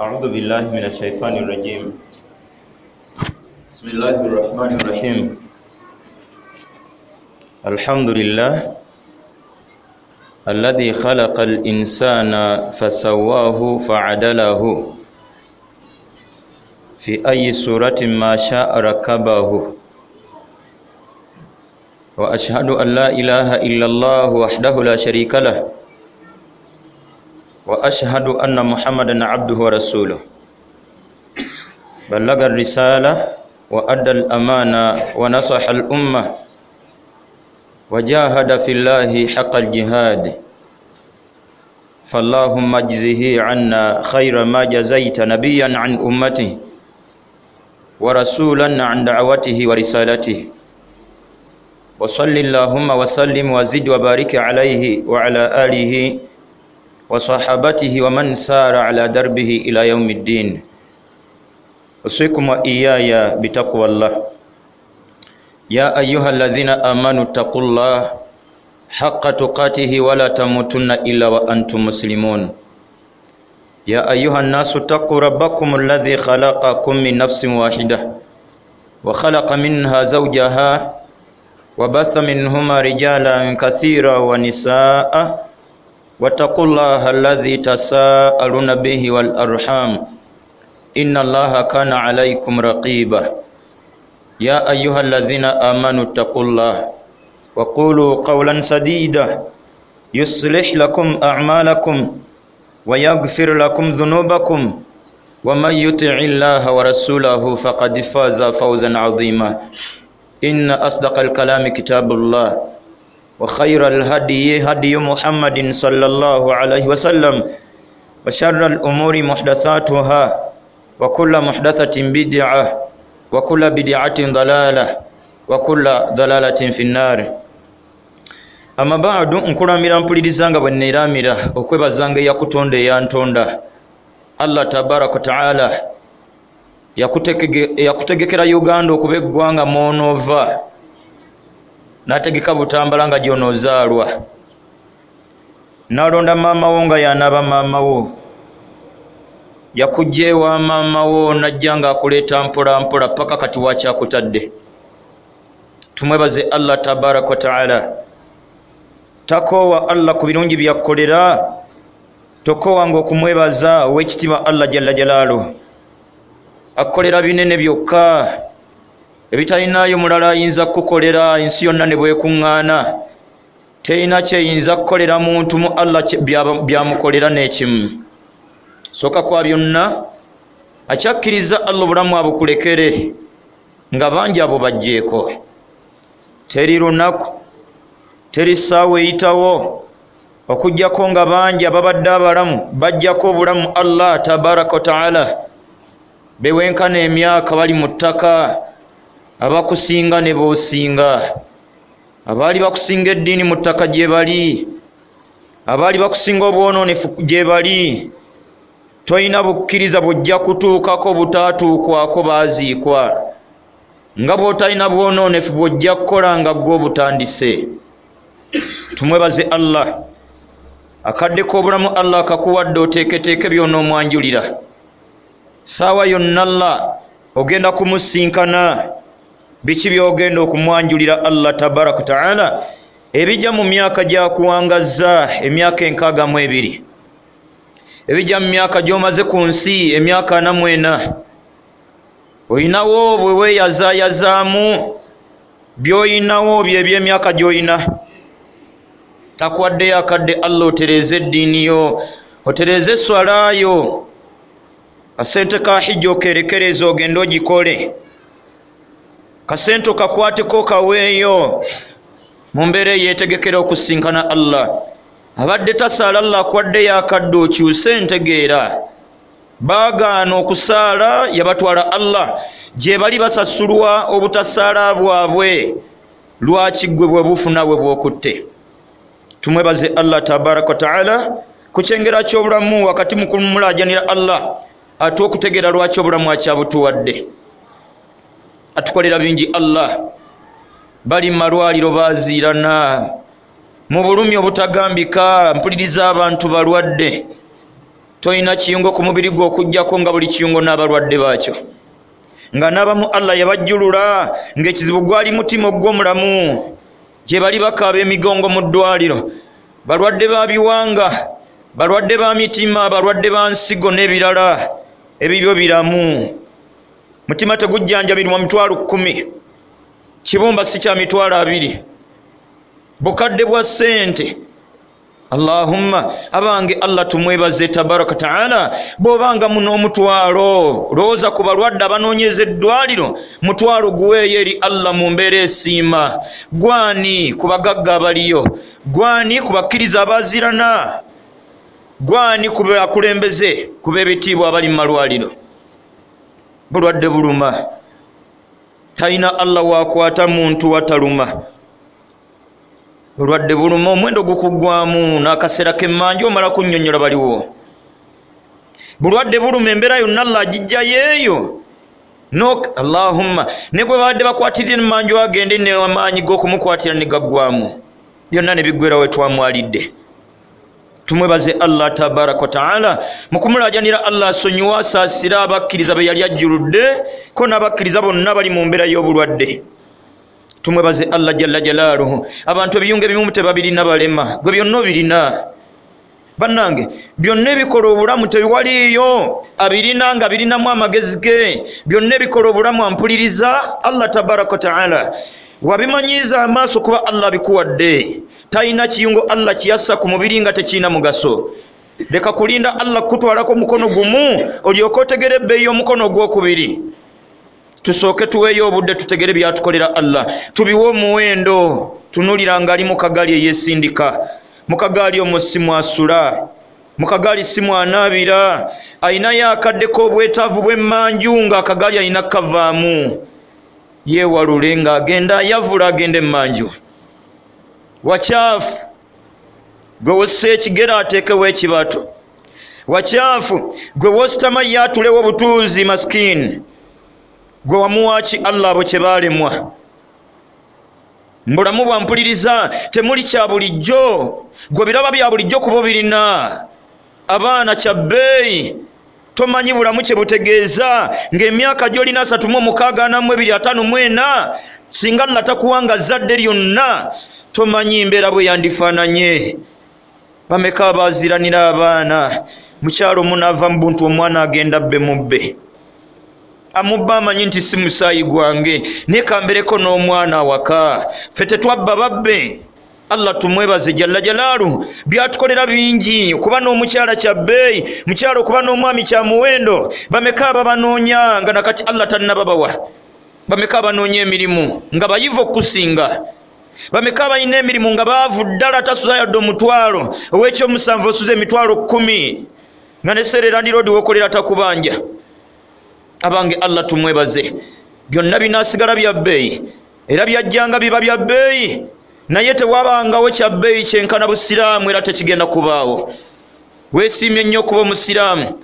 أعوذ بالله من الشيطان الرجيم. بسم الله الرحمن الرحيم. الحمد لله الذي خلق الإنسان فسواه فعدله في أي سورة ما شاء ركبه، وأشهد أن لا إله إلا الله وحده لا شريك له، وأشهد أن محمدا عبده ورسوله، بلغ الرسالة وأدى الأمانة ونصح الأمة وجاهد في الله حق الجهاد، فاللهم اجزه عنا خير ما جزيت نبيا عن أمته ورسولا عن دعوته ورسالته، وصل اللهم وسلم وزد وبارك عليه وعلى آله وصحابته ومن سار على دربه إلى يوم الدين. أوصيكم وإياي بتقوى الله. يا أيها الذين آمنوا اتقوا الله حق تقاته ولا تموتن إلا وأنتم مسلمون. يا أيها الناس اتقوا ربكم الذي خلقكم من نفس واحدة وخلق منها زوجها وبث منهما رجالا كثيرا ونساء، واتقوا الله الذي تساءلون به والأرحام إن الله كان عليكم رقيبا. يا أيها الذين آمنوا اتقوا الله وقولوا قولا سديدا يصلح لكم أعمالكم ويغفر لكم ذنوبكم، ومن يطع الله ورسوله فقد فاز فوزا عظيما. إن أصدق الكلام كتاب الله، وخير الهدي هدي محمد صلى الله عليه وسلم، وشر الأمور محدثاتها، وكل محدثة بدعة، وكل بدعة ضلالة، وكل ضلالة في النار. Amma ba'du, nkulamira mpulirizanga bwe neeramira okwebazanga eyakutonda eyantonda Allah tabaraka taala. Yakutegekera Uganda okuba eggwanga mw'onoova, n'ategeka Butambala nga gy'onoozaalwa, n'alonda maama wo nga y'anaaba maama wo, yakujja ewa maama wo n'ajja ng'akuleeta mpola mpola paka kati wakyakutadde. Tumwebaze Allah tabaraka wa taala. Takoowa Allah ku birungi byakkolera, tokoowanga okumwebaza ow'ekitiibwa Allah jalla jalaalu. Akkolera binene byokka ebitalinayo mulala ayinza kukukolera. Ensi yonna ne bwekuŋŋaana terina kyeyinza kukolera muntu mu Allah byamukolera n'ekimu. Sooka kwa byonna akyakkiriza Allah obulamu abukulekere nga bangi abo bajjeeko. Teri lunaku, teri ssaawa eyitawo okuggyako nga bangi ababadde abalamu bajjako obulamu Allah tabaraka wa taala. Bewenkana emyaka bali mu ttaka, abakusinga ne boosinga, abaali bakusinga eddiini mu ttaka gye bali, abaali bakusinga obwonoonefu gye bali. Toyina bukkiriza bw'ojja kutuukako butaatuukwako baaziikwa, nga bw'otalina bwonoonefu bw'ojja kukola nga ggwe obutandise. Tumwebaze Allah. Akadde k'obulamu Allah akakuwadde oteeketeeke by'onoomwanjulira. Saawa yonna Allah ogenda kumusinkana. Biki by'ogenda okumwanjulira Allah tabaraka taala ebijja mu myaka gyakuwangazza emyaka 62, ebijja mu myaka gy'omaze ku nsi emyaka 44. Oyinawo bwe weeyazaayazaamu by'oyinawo bye by'emyaka gy'oyina. Takuwaddeyo akadde Allah otereeze eddiini yo, otereeze esswala yo, kasente ka hijja okerekereza ogende ogikole, kasente okakwateko okaweeyo mu mbeera eyeetegekera okusinkana Allah. Abadde tasaala Allah akuwaddeyo akadde okyuse entegeera. Baagaana okusaala yabatwala Allah gye bali basasulwa obutasaala bwabwe. Lwaki ggwe bwe bufuna bwe bw'okutte? Tumwebaze Allah tabaraka wa taala ku kyengera ky'obulamu wakati mu kumulaajanira Allah ate okutegeera lwaki obulamu akyabutuwadde. Atukolera bingi Allah. Bali mu malwaliro baaziirana mu bulumi obutagambika. Mpuliriza abantu balwadde. Tolina kiyungo ku mubiri gwo okuggyako nga buli kiyungo n'abalwadde baakyo, nga n'abamu Allah yabajjulula ng'ekizibu gwali mutima ogw'omulamu. Gye bali bakaaba emigongo mu ddwaliro, balwadde ba biwanga, balwadde ba mitima, balwadde ba nsigo n'ebirala. Ebibyo biramu. Mutima tegujjanjabirwa 100,000, kibumba si kya 20,000, bukadde bwa ssente. Allahumma, abange Allah tumwebaze tabaraka taala. Bw'obanga muno omutwalo, lowooza ku balwadde abanoonyeza eddwaliro, mutwalo guweeyo eri Allah mu mbeera esiima. Gwani ku bagagga abaliyo? Gwani ku bakkiriza abaazirana? Gwani ku bakulembeze, ku b'ebitiibwa abali mu malwaliro? Bulwadde buluma. Talina Allah wakwata muntu wataluma. Bulwadde buluma, omwendo gukuggwamu n'akaseera k'emmanja omala kunnyonnyola baliwo. Bulwadde buluma, embeera yonna Allah agijjayo eyo. Allahumma, ne gwe babadde bakwatirira emmanja agende n'amaanyi g'okumukwatira ne gaggwamu, byonna ne biggwera we twamwalidde. Tumwebaze Allah tabaraka wa taala mu kumulaajanira Allah asonyiwe, asaasire abakkiriza be yali ajjuludde ko n'abakkiriza bonna bali mu mbeera y'obulwadde. Tumwebaze Allah jalla jalaaluhu. Abantu ebiyungo ebimu tebabirina, balema, gwe byonna obirina. Bannange, byonna ebikola obulamu tewaliiyo abirina nga birinamu amagezi ge. Byonna ebikola obulamu ampuliriza Allah tabaraka wa taala wabimanyiiza amaaso kuba Allah abikuwadde. Talina kiyungo Allah kiyassa ku mubiri nga tekirina mugaso. Leka kulinda Allah kutwalako mukono gumu olyoke otegere ebbeeyi y'omukono ogwokubiri. Tusooke tuweeyo obudde tutegere byatukolera Allah, tubiwe omuwendo. Tunulira nga ali mu kagaali eyeesindika, mu kagaali omwo si mwasula, mu kagaali si mwanaabira, ayinayo akadde k'obwetaavu bw'emmanju ng'akagaali alina kavaamu. Yeewalule ng'agenda ayavula agenda emmanju. Wakyafu gwe wossa ekigere ateekewo ekibato. Wakyafu gwe wositama ye atulewo obutuuzi masikini. Gwe wamuwaaki Allah abo kye baalemwa. Mbulamu bwampuliriza temuli kya bulijjo. Gwe biraba bya bulijjo kuba obirina. Abaana kya bbeeyi, tomanyi bulamu kye butegeeza ng'emyaka gy'olina 36, 42, 54, singa Allah takuwanga zzadde lyonna tomanyi mbeera bwe yandifaananye. Bameka abaaziranira abaana, mukyalo omunaava mu buntu omwana agenda bbe mubbe. Amubba amanyi nti si musaayi gwange, naye kambereko n'omwana awaka. Ffe tetwabba babbe. Allah tumwebaze jalla jalaalu, byatukolera bingi. Okuba n'omukyala kya bbeeyi, mukyala okuba n'omwami kya muwendo. Bameka ababanoonya nga nakati Allah tannababawa? Bameka abanoonya emirimu nga bayivu okusinga? Bameka abalina emirimu nga baavu ddala, tasuza yadde 5,000, ow'ekyomusanvu osuza 10,000, nga ne seere landiroodi w'okolera takubanja. Abange Allah tumwebaze, byonna binaasigala bya bbeeyi, era byajjanga biba bya bbeeyi, naye tewabangawo kya bbeeyi kyenkana busiraamu, era tekigenda kubaawo. Weesiimye nnyo okuba omusiraamu.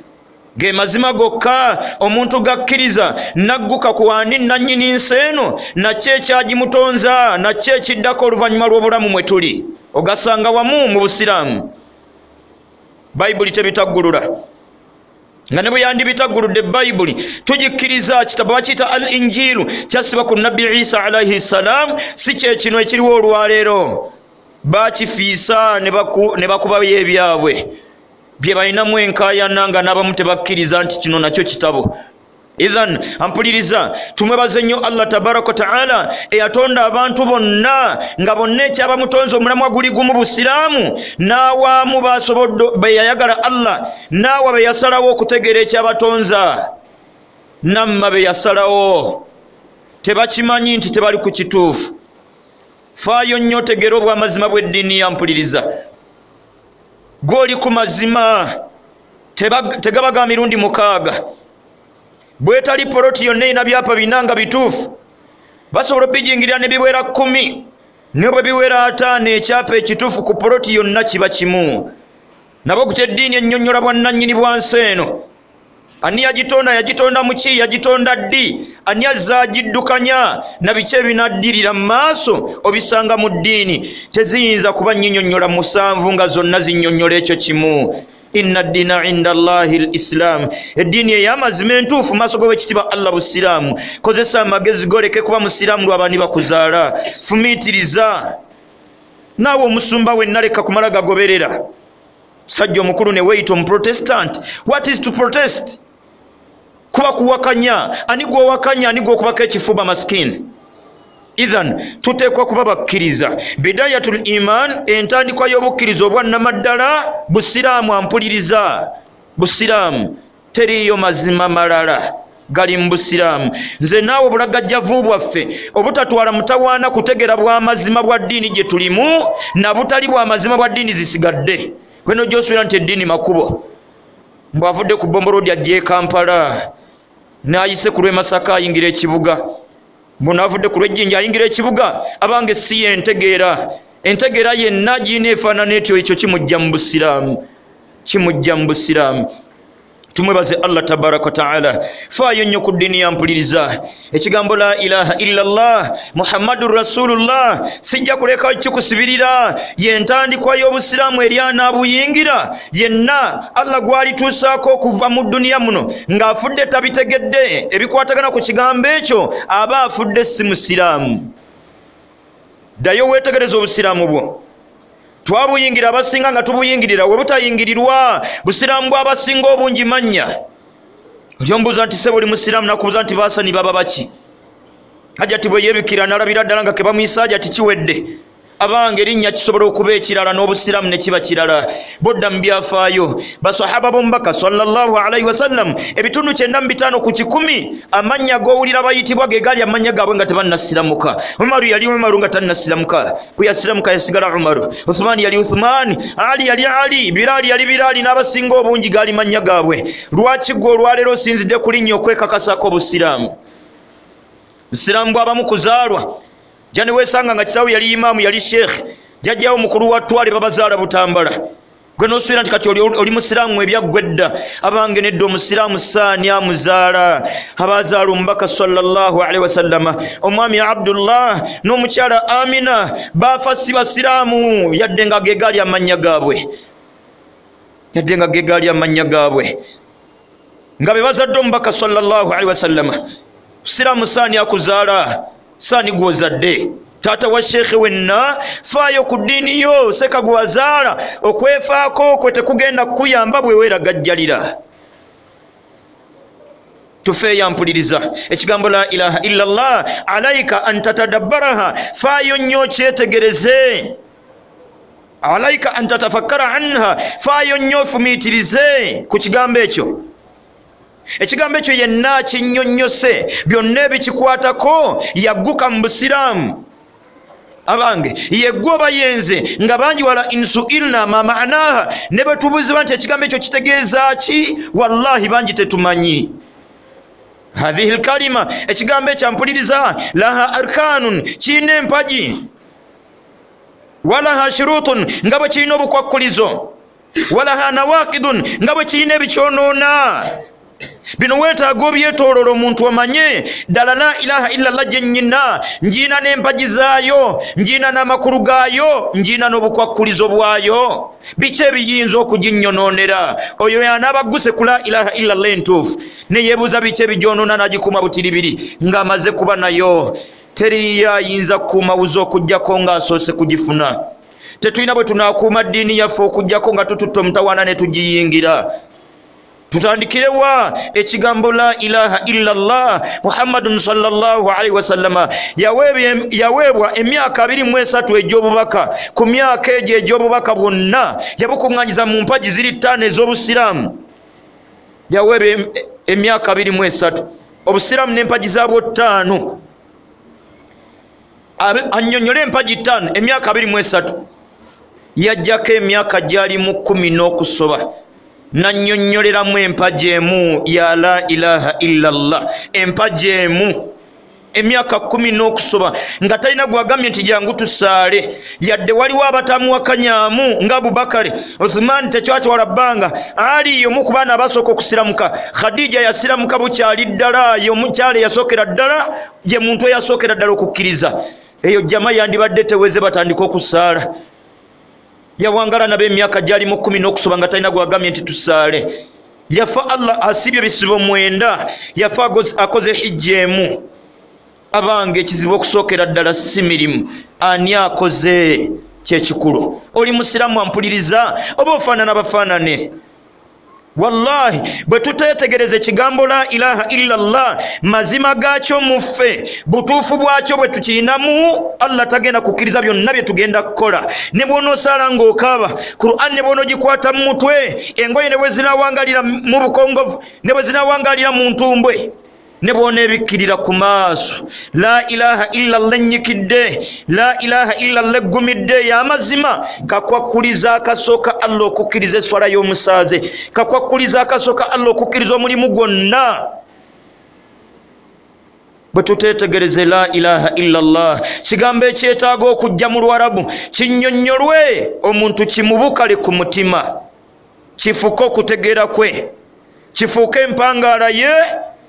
Ge mazima gokka omuntu gakkiriza nagguka ku ani nannyini nsi eno, nakyo ekyagimutonza, nakyo ekiddako oluvannyuma lw'obulamu mwe tuli, ogasanga wamu mu busiraamu. Bayibuli tebitaggulula, nga ne bwe yandibitagguludde Bayibuli tugikkiriza. Kitabo bakiyita Al Injiilu, kyassibwa ku Nabbi Isa alaihi ssalam, si kye kino ekiriwo olwaleero. Bakifiisa ne bakubayo ebyabwe bye balinamu enkaayana, nga n'abamu tebakkiriza nti kino nakyo kitabo. Idhan ampuliriza, tumwebaze nnyo Allah tabaraka wa taala eyatonda abantu bonna nga bonna ekyabamutonze omulamwa guli gumu busiraamu, n'awaamu basobodde be yayagala Allah, n'awa be yasalawo okutegeera ekyabatonza, namma be yasalawo tebakimanyi nti tebali ku kituufu. Faayo nnyo otegeere obwamazima bw'eddiini. Yampuliriza, gw'oli ku mazima tegaba ga mirundi 6. Bwetali poloti yonna erina byapa 4 nga bituufu, basobola okubijingirira ne biwera 10, ne bwe biwera 5, ekyapa ekituufu ku poloti yonna kiba kimu. Nabo kutya eddiini ennyonnyola bwannannyini bwa nsi eno. Ani yagitonda? Yagitonda mu ki? Yagitonda ddi? Ani azze agiddukanya? Na biki ebinaddirira mu maaso obisanga mu ddiini. Teziyinza kuba nnyinyonnyola 7 nga zonna zinnyonnyola ekyo kimu. Inna ddiina inda Allahi lislam, eddiini ey'amazima entuufu maaso g'owekitiibwa Allah busiraamu. Kozesa amagezi goleke kuba musiraamu lwabani bakuzaala. Fumiitiriza naawe omusumba wenna, leka kumala gagoberera musajja omukulu ne weeyita omuprotestant. What is to protest? Kuba kuwakanya. Ani gwowakanya? Ani gwokubako ekifuba maskini? Ithan tuteekwa kuba bakkiriza. Bidayatul iman, entandikwa y'obukkiriza obwannamaddala busiraamu. Ampuliriza, busiraamu teriiyo mazima malala gali mu busiraamu. Nze naawe obulagajjavu bwaffe obutatwala mutawaana kutegera bw'amazima bwa ddiini gye tulimu na butali bw'amazima bwa ddiini zisigadde. Gweno gy'osuubira nti eddiini makubo, mbw'avudde ku Bombolodi ajja e Kampala, n'ayise ku lw'e Masaka ayingira ekibuga, mbunavudde ku lw'ejjinja ayingira ekibuga. Abange si yentegeera, entegeera yenna giina efaanana etyo, ekyo kimujja mu busiraamu, kimujja mu busiraamu. Tumwebaze Allah tabaraka wa taala. Faayo nnyo ku ddiini yampuliriza. Ekigambo la ilaha illallah Muhammadun rasulullah sijja kuleka kikusibirira, yentandikwa y'obusiraamu eri anaabuyingira yenna Allah gwalituusaako okuva mu duniya muno ng'afudde tabitegedde ebikwatagana ku kigambo ekyo, aba afudde si musiraamu. Ddayo weetegereza obusiraamu bwo. Twabuyingira abasinga nga tubuyingirira, we butayingirirwa busiraamu bw'abasinga obungi mannya. Olyombuuza nti sebo oli musiraamu, nakubuuza nti baasani baba baki? Hajati bwe yeebikira n'alabira ddala nga ke bamuyisa hajati kiwedde. Abange erinnya kisobola okuba ekirala n'obusiraamu ne kiba kirala. Bodda mu byafaayo basahaba b'omubaka sallallahu alaihi wasallam ebitundu 95 ku 100 amannya g'owulira bayitibwa ge gali amannya gaabwe nga tebannasiramuka. Umaru yali Umaru nga tannasiramuka, bwe yasiramuka yasigala Umaru. Uthmani yali Uthmani, Ali yali Ali, Bilali yali Bilali, n'abasinga obungi gaali mannya gaabwe. Lwaki gwe olwaleero osinzidde ku linnya okwekakasako obusiraamu? Busiraamu bw'abamu kuzaalwa. Jani wesanga nga kitaawe yali imaamu, yali sheekh, jjajjaawo mukulu wa ttwale babazaala Butambala, gwe n'osuubira nti kati oli musiraamu ebyaggwa edda. Abange nedda, omusiraamu saani amuzaala. Abazaala omubaka sallallahu alaihi wasallama, omwami Abdullah n'omukyala Amina baafa si basiraamu, yadde nga ge gaali amannya gaabwe, yadde nga ge gaali amannya gaabwe, nga be bazadde omubaka sallallahu alaihi wasallama. Musiraamu saani akuzaala, saani gw'ozadde. Taata wa sheekhe wenna, faayo ku ddiini yo, seka gwazaala. Okwefaako kwe tekugenda kukuyamba bwe weeragajjalira. Tufeeyo mpuliriza ekigambo la ilaha illallah, alaika an tatadabbaraha, faayo nnyo okyetegereze. Alaika an tatafakkara anha, faayo nnyo ofumiitirize ku kigambo ekyo. Ekigambo ekyo yenna kinnyonnyose byonna ebikikwatako yagguka mu busiraamu. Abange yeggwe oba yenze nga bangi wala insuilna ma ma'naha, ne bwe tubuuzibwa nti ekigambo ekyo kitegeeza ki, wallahi bangi tetumanyi. Hadhihi lkalima, ekigambo ekyo mpuliriza, laha arkanun, kirina empagi, walaha shurutun, nga bwe kirina obukwakkulizo, walaha nawaqidun, nga bwe kirina ebikyonoona. Bino weetaaga obyetooloola omuntu omanye ddala la ilaha illallah gye nnyina, ngiina n'empagi zaayo, ngiina n'amakulu gaayo, ngiina n'obukwakkulizo bwayo. Biki ebiyinza okuginnyonoonera? Oyo y'anaaba agguse ku la ilaha illallah entuufu ne yeebuuza biki ebigyonoona n'agikuuma butiribiri ng'amaze kuba nayo. Teriyo ayinza kukuumawuza okuggyako ng'asoose kugifuna. Tetulina bwe tunaakuuma ddiini yaffe okuggyako nga tututte omutawaana ne tugiyingira. Tutandikirewa ekigambo la ilaha illallah Muhammadun sallallahu alaihi wasallama yaweebwa emyaka 23 egy'obubaka. Ku myaka egyo egy'obubaka bwonna yabukuŋŋanyiza mu mpagi ziri 5 ez'obusiraamu. Yaweebwa emyaka 23 obusiraamu n'empagi zaabwo 5. Annyonnyole empagi 5 emyaka 23. Yajjako emyaka gyali mu 10 n'okusoba nannyonnyoleramu empagi emu ya la ilaha illallah, empagi emu emyaka 10 n'okusoba nga talina gwagambye nti jangu tusaale, yadde waliwo abatamuwakanyaamu nga Abubakari, Uthman tekyatwala bbanga, Ali y'omu ku baana abasooka okusiramuka, Khadija yasiramuka bukyali ddala, y'omukyala eyasookera ddala, ye muntu eyasookera ddala okukkiriza. Eyo jama yandibadde teweze batandika okusaala. Yawangala nabo emyaka gyali mu 10 n'okusoba nga talina gwagambye nti tusaale. Yafa Allah asibye bisibo 9, yafa akoze hijja emu. Abange, ekizibu okusookera ddala si mirimu, ani akoze kyekikulu? Oli musiraamu ampuliriza oba ofaanana bafaanane? Wallahi bwe tuteetegereza ekigambo la ilaha illallah, mazima gaakyo muffe, butuufu bwakyo bwe tukiinamu, Allah tagenda kukkiriza byonna bye tugenda kukola. Ne bw'onoosaala ng'okaaba, Qur'an ne bw'onoogikwata mu mutwe, engoye ne bwe zinaawangalira mu bukongovu, ne bwe zinaawangalira mu ntumbwe, ne bw'oneebikkirira ku maaso, la ilaha illallah ennyikidde, la ilaha illallah eggumidde y'amazima. Kakwakkuliza akasooka Allah okukkiriza esswala y'omusaaze, kakwakkuliza akasooka Allah okukkiriza omulimu gwonna. Bwe tuteetegereze la ilaha illallah, kigambo ekyetaaga okujja mu Lwarabu kinnyonnyolwe omuntu kimubukale ku mutima, kifuuke okutegeera kwe, kifuuke empangaala ye,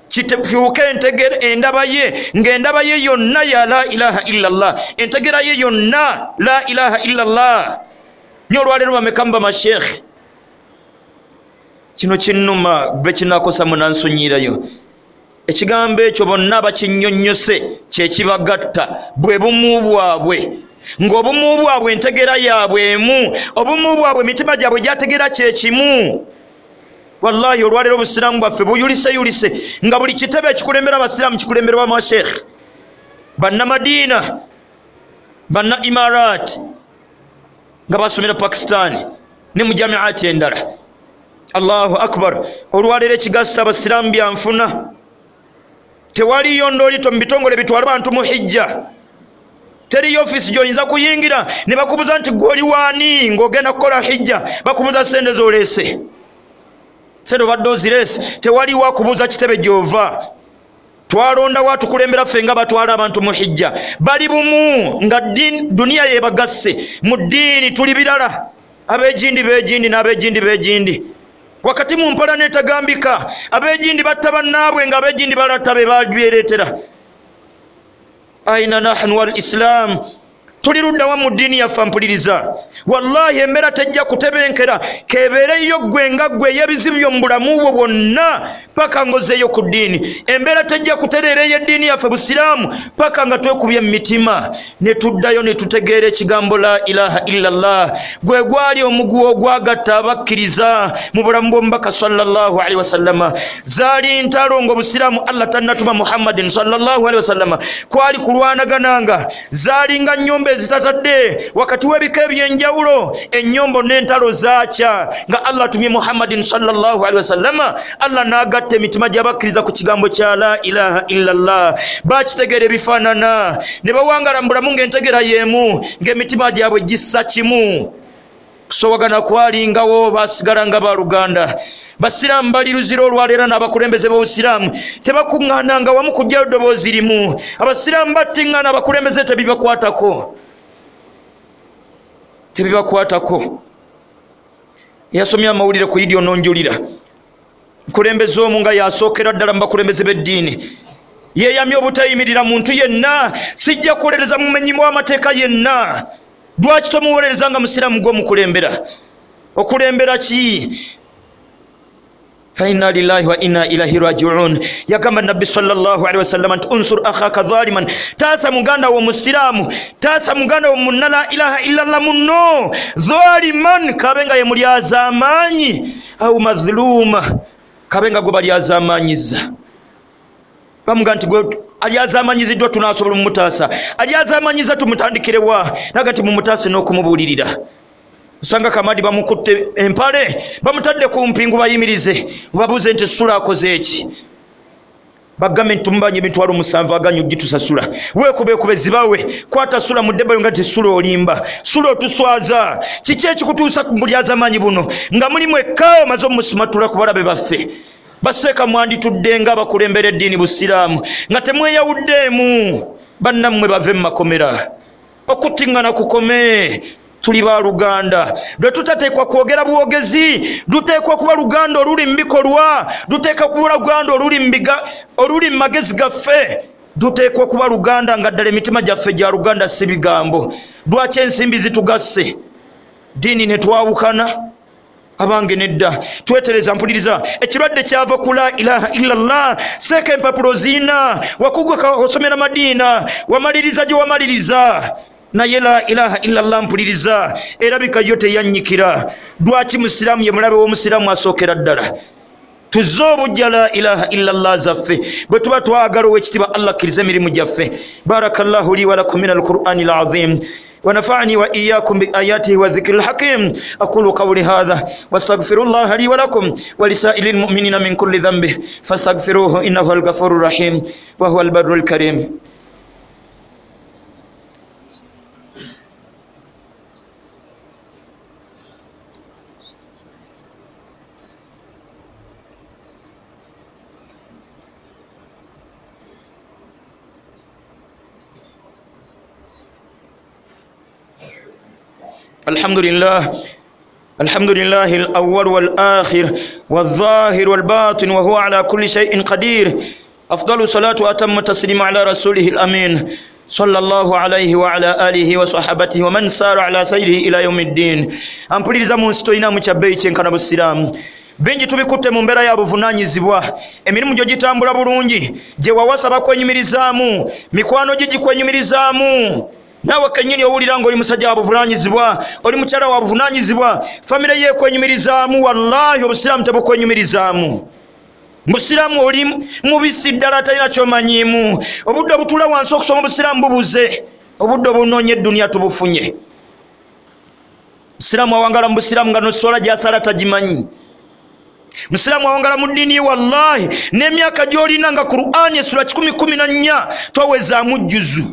kifuuke endaba ye, ng'endaba ye yonna ya la ilaha illallah, entegera ye yonna la ilaha illallah. Nyo olwaleero bameka mu bamashekhe, kino kinnuma be kinakosa munansonyiirayo. Ekigambo ekyo bonna bakinnyonnyose kyekibagatta, bwe bumu bwabwe, ng'obumu bwabwe entegera yaabwe emu, obumu bwabwe emitima gyabwe gyategera kyekimu. Wallahi olwaleero obusiraamu bwaffe buyuliseyulise, nga buli kitebe ekikulembera abasiraamu kikulemberwa bamashekhe, bannamadiina, banna Imarat nga basomera Pakistan ne mu jamiati endala. Allahu akbar. Olwaleero ekigasa abasiraamu byanfuna, tewaliyo ndoolito mu bitongole bitwala bantu mu hijja. Teriyo ofiisi gy'oyinza kuyingira ne bakubuza nti gwe oli waani ng'ogenda kukola hijja, bakubuza sente z'oleese, sente obadde ozireese. Tewaliwo akubuuza kitebe gy'ova. Twalondawo atukulembera ffe nga batwala abantu mu hijja, bali bumu nga duniya yebagasse. Mu ddiini tuli birala, ab'egindi b'egindi n'ab'egindi b'egindi. Wakati mu mpala n'etagambika, ab'egindi batta bannaabwe nga ab'egindi balatta be babyereetera. Aina nahnu wal islam, tuli luddawa mu ddiini yaffe mpuliriza? Wallahi embeera tejja kutebenkera, kebeereyo ggwe nga ggwe ey'ebizibu byo mu bulamu bwo bwonna paka ng'ozzeeyo ku ddiini. Embeera tejja kutereera ey'eddiini yaffe busiraamu paka nga twekubye mu mitima ne tuddayo ne tutegeera ekigambo la ilaha illallah. Gwe gwali omuguwa ogwagatta abakkiriza mu bulamu bw'omubaka sallallahu alaihi wasallama. Zaali ntalo ng'obusiraamu Allah tannatuma Muhammadin sallallahu alaihi wasallama, kwali kulwanagananga, zaalinga nnyombo ezitatadde wakati w'ebika eby'enjawulo, ennyombo n'entalo zaakya nga Allah atumye Muhammadin sallallahu alaihi wasallama. Allah n'agatta emitima gy'abakkiriza ku kigambo kya la ilaha illallah. Bakitegeera ebifaanana ne bawangala mu bulamu ng'entegera y'emu, ng'emitima gyabwe gissa kimu. Kusowagana kwalingawo, basigala nga baluganda. Basiraamu bali luzira olwaleero n'abakulembeze b'obusiraamu tebakuŋŋaananga wamu kuggyayo ddoboozi limu. Abasiraamu battiŋŋaana, abakulembeze tebibakwatako, tebibakwatako. Yasomye amawulire ku Idi ononjulira, nkulembeze omu nga yasookera ddala mu bakulembeze b'eddiini yeeyamye obutayimirira muntu yenna, sijja kuwolereza mumenyi w'amateeka yenna. Lwaki tomuwolereza nga musiraamu gw'omukulembera? Okulembera ki? Fa inna lillahi wa inna ilaihi rajiun. Yagamba Nabbi sallallahu alaihi wasallam nti unsur akhaka zaliman, taasa muganda wo musiraamu, taasa muganda wo munna la ilaha illallah munno, zaliman, kabe nga ye mulyazaamaanyi, au mazluma, kabe nga gwe balyazaamaanyiza. Bamuga nti gwe alyazamanyiziddwa tunasobola mumutaasa, alyazamanyiza tumutandikirewa? Naga nti mumutaase n'okumubuulirira. Osanga Kamadi bamukutte empale, bamutadde ku mpingu bayimirize, babuuze nti Sula akoze eki? Bagambe nti tumubanja emitwalo 7 aganyu gitusasula. Weekubeekube zibawe, kwata Sula mu ddebbayo nga nti Sula olimba, Sula otuswaza. Kiki ekikutuusa ku bulyazaamaanyi buno nga mulimu ekka omaze omusimatula ku balabe baffe? Baseeka mwanditudde nga abakulembera eddiini busiraamu nga temweyawuddeemu, bannammwe bave mu makomera. Okuttiŋŋana kukome, tuli baluganda. Lwe tutateekwa kwogera bwogezi, luteekwa kuba luganda oluli mu bikolwa, luteekwa kuba luganda oluli mu magezi gaffe, luteekwa kuba luganda nga ddala emitima gyaffe gya luganda si bigambo. Lwaki ensimbi zitugasse? Ddiini ne twawukana. Abange nedda, twetereza. Mpuliriza, ekirwadde kyava ku la ilaha illallah. Seeka empapulo ziina, wakuguka osomera Madiina, wamaliriza gye wamaliriza, naye la ilaha illallah, mpuliriza, erabika yo teyannyikira. Lwaki musiraamu ye mulabe w'omusiraamu asookera ddala? Tuzze obujja la ilaha illallah zaffe bwe tuba twagala owekitiibwa Allah akkiriza emirimu gyaffe. Barakallahu li walakum min alqurani alazim ونفعني وإياكم بآياته والذكر الحكيم. أقول قولي هذا واستغفر الله لي ولكم ولسائر المؤمنين من كل ذنب فاستغفروه إنه هو الغفور الرحيم وهو البر الكريم. الحمد لله، الحمد لله الأول والآخر والظاهر والباطن وهو على كل شيء قدير. أفضل صلاة وأتم تسليم على رسوله الأمين صلى الله عليه وعلى آله وصحبته ومن سار على سيره إلى يوم الدين. Ampuliriza, mu nsi tolinamu kya bbeeyi kyenkana busiraamu. Bingi tubikutte mu mbeera ya buvunaanyizibwa. Emirimu gyo gitambula bulungi, gye wawasa bakwenyumirizaamu, mikwano gye gikwenyumirizaamu, naawe kennyini owulira ng'oli musajja wa buvunaanyizibwa, oli mukyala wa buvunaanyizibwa, famire ye ekwenyumirizaamu. Wallahi obusiraamu tebukwenyumirizaamu. Musiraamu oli mubisi ddala, talina kyomanyiimu. Obudde obutula wansi okusoma obusiraamu bubuze, obudde obunoonya edduniya tubufunye. Musiraamu awangala mu busiraamu nga noswala gyasala tagimanyi. Musiraamu awangala mu ddiini ye, wallahi n'emyaka gy'olina nga Qur'ani essula 114 towezaamu jjuzu.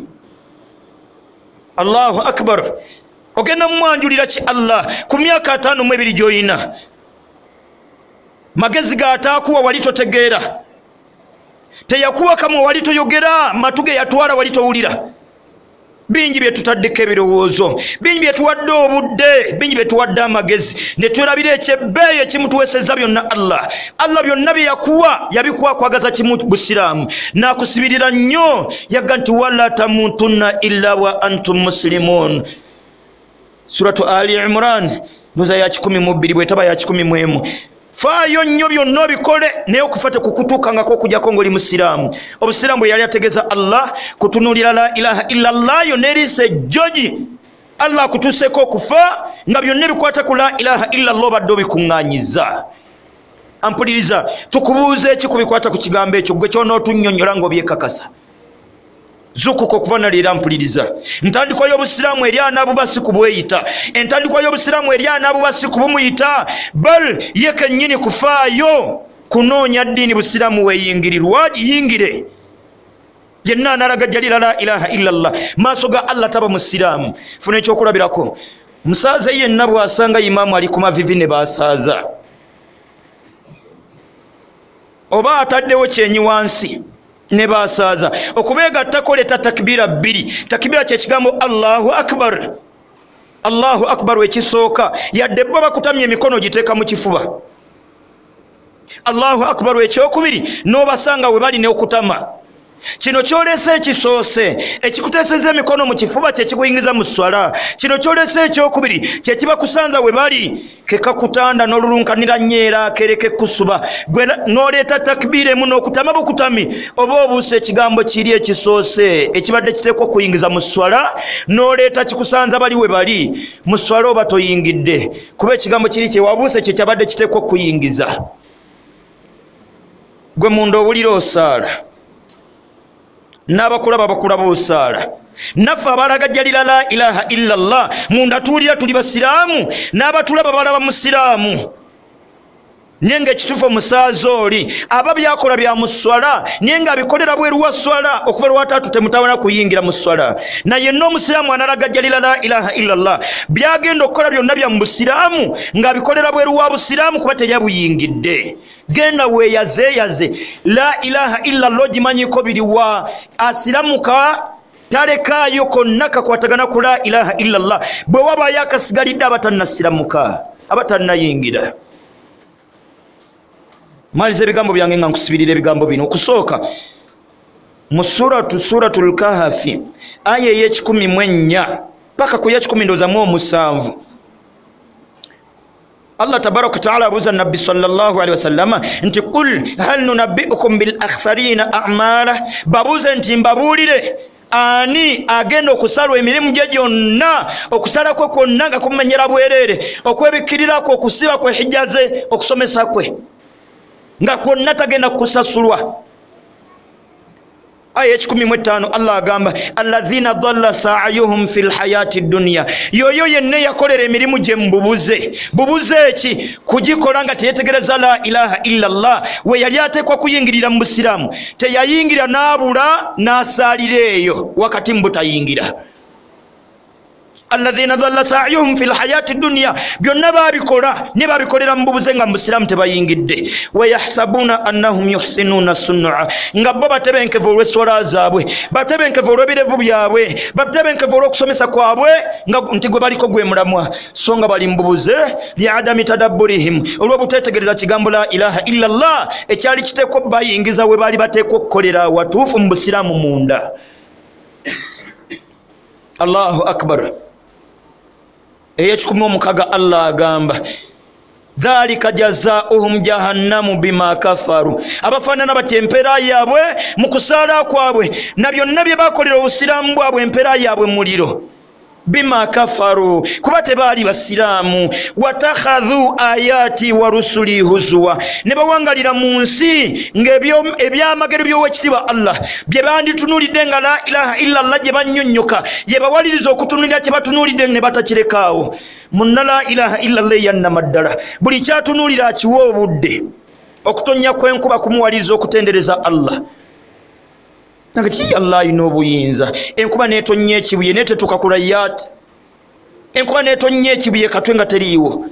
Allahu akbar! Ogenda mumwanjulira ki Allah ku myaka 52 gy'olina? Magezi gaataakuwa wali totegeera, teyakuwa kamwe wali toyogera, matu ge yatwala wali towulira. Bingi bye tutaddeko ebirowoozo, bingi bye tuwadde obudde, bingi bye tuwadde amagezi, ne twerabira ekyebbeeyi ekimutuweesezza byonna Allah. Allah byonna bye yakuwa yabikuwa kwagaza kimu, busiraamu, n'akusibirira nnyo. Yagga nti wala tamutunna illa wa antum muslimun. Suratu Ali Imran ndoza ya 12 bwetaba ya 11. Faayo nnyo byonna obikole, naye okufa tekukutuukangako okujjako ng'oli musiraamu. Obusiraamu bwe yali ategeeza Allah kutunuulira la ilaha illallah yo n'eriisa ejjogi. Allah akutuuseeko okufa nga byonna ebikwata ku la ilaha illallah obadde obikuŋŋaanyiza. Ampuliriza, tukubuuza eki ku bikwata ku kigambo ekyo gwe kyonootunnyonnyola ng'obyekakasa? Zukuka okuva naleero. Mpuliriza, ntandikwa y'obusiraamu eri anaabuba si kubweyita, entandikwa y'obusiraamu eri anaabuba si kubumuyita, bal ye kennyini kufaayo kunoonya ddiini busiraamu weeyingirirwa giyingire. Yenna analagajjalira la ilaha illallah maaso ga Allah taba musiraamu. Funa ekyokulabirako, musaaza yenna bw'asanga imaamu ali ku mavivi ne basaaza oba ataddewo kyenyi wansi ne basaaza, okubeegattako leeta takibira bbiri. Takibira kyekigambo Allahu akbar, Allahu akbar ekisooka, yadde bo bakutamya emikono giteeka mu kifuba. Allahu akbar ekyokubiri, n'obasanga we bali n'okutama. Kino kyolese ekisoose ekikuteeseza emikono mu kifuba kyekikuyingiza mu swala. Kino kyolese ekyokubiri kyekibakusanza we bali, kekakutanda n'olulunkanira nnyo era kereke kusuba gwe n'oleeta takbiira emu n'okutama bukutami, oba obuusa ekigambo kiri ekisoose ekibadde kiteekwa okuyingiza mu swala n'oleeta kikusanza bali we bali mu swala, oba toyingidde, kuba ekigambo kiri kyewabuuse kye kyabadde kiteekwa okuyingiza. Gwe munda owulira osaala, n'abakulaba bakulaba osaala. Naffe abalagajjalira la ilaha illallah munda tuwulira tuli basiraamu, n'abatulaba balaba musiraamu, naye nga ekituufu omusaaza oli aba byakola bya mu swala, naye ng'abikolera bweru wa swala. Okuva lwataatu temutawana kuyingira mu swala. Naye n'omusiraamu analagajjalira la ilaha illallah byagenda okukola byonna bya mu busiraamu ng'abikolera bweru wa busiraamu, kuba teyabuyingidde. Genda weeyazeeyaze la ilaha illallah ogimanyiko biriwa. Asiramuka talekaayo konna kakwatagana ku la ilaha illallah. Bwe wabaayo akasigalidde abatannasiramuka, abatannayingira. Maliza ebigambo byange nga nkusibirira ebigambo bino. Okusooka mu Suratul Kahafi aya ey'e 14 paka ku ya 17. Allah tabaraka wataala abuuza Nabbi sallallahu alaihi wasallama nti qul hal nunabbiukum bil akhsarina amala, babuuze nti mbabuulire ani agenda okusalwa emirimu gye gyonna, okusala kwe kwonna nga kumenyera bwereere, okwebikkirirako, okusiba kwe, hijja ze, okusomesa kwe, nga kwonna tagenda kusasulwa. Aya 15 Allah agamba alladhina dhalla sa'yuhum fil hayati dunya, yoyo yenna yakolera emirimu gye mububuze. Bubuze ki? Kugikola nga teyetegereza la ilaha illa Allah. We yali ateekwa kuyingirira mu busiraamu, teyayingira n'abula n'asaalira eyo wakati mu butayingira. Alladhina dhalla sa'yuhum fil hayati dunya, byonna babikola ne babikolera mu bubuze nga mu busiraamu tebayingidde. Wa yahsabuna annahum yuhsinuna sun'a, nga bo batebenkevu olw'esswala zaabwe, batebenkevu olw'ebirevu byabwe, batebenkevu olw'okusomesa kwabwe, nga nti gwe baliko gwe mulamwa, so nga bali mu bubuze liadami tadabburihim, olw'obuteetegereza kigambo la ilaha illa Allah ekyali kiteekwa bayingiza we baali bateekwa okukolera watuufu mu busiraamu munda. Allahu akbar. Eyekikumi omukaga Allah agamba dhalika jazaohum jahannamu bima kafaru, abafaanana batya empeera yaabwe mu kusaala kwabwe na byonna bye bakolera obusiraamu bwabwe, empeera yaabwe muliro. Bima kafaru, kuba tebaali basiraamu. Watakhadhu ayati wa rusuli huzuwa, ne bawangalira mu nsi ng'ebyamagero by'owekitiibwa Allah bye banditunuulidde nga la ilaha illa Allah gye bannyonnyoka, ye bawaliriza okutunuulira kye batunuulidde ne batakirekaawo. Munna la ilaha illa Allah eyannamaddala buli kyatunuulira akiwa obudde. Okutonnya kw'enkuba kumuwaliriza okutendereza Allah. Nagati Allah ayina obuyinza. Enkuba n'etonnya ekibuye n'etetuuka ku rayat, enkuba n'etonnya ekibuye katwe nga teriiwo.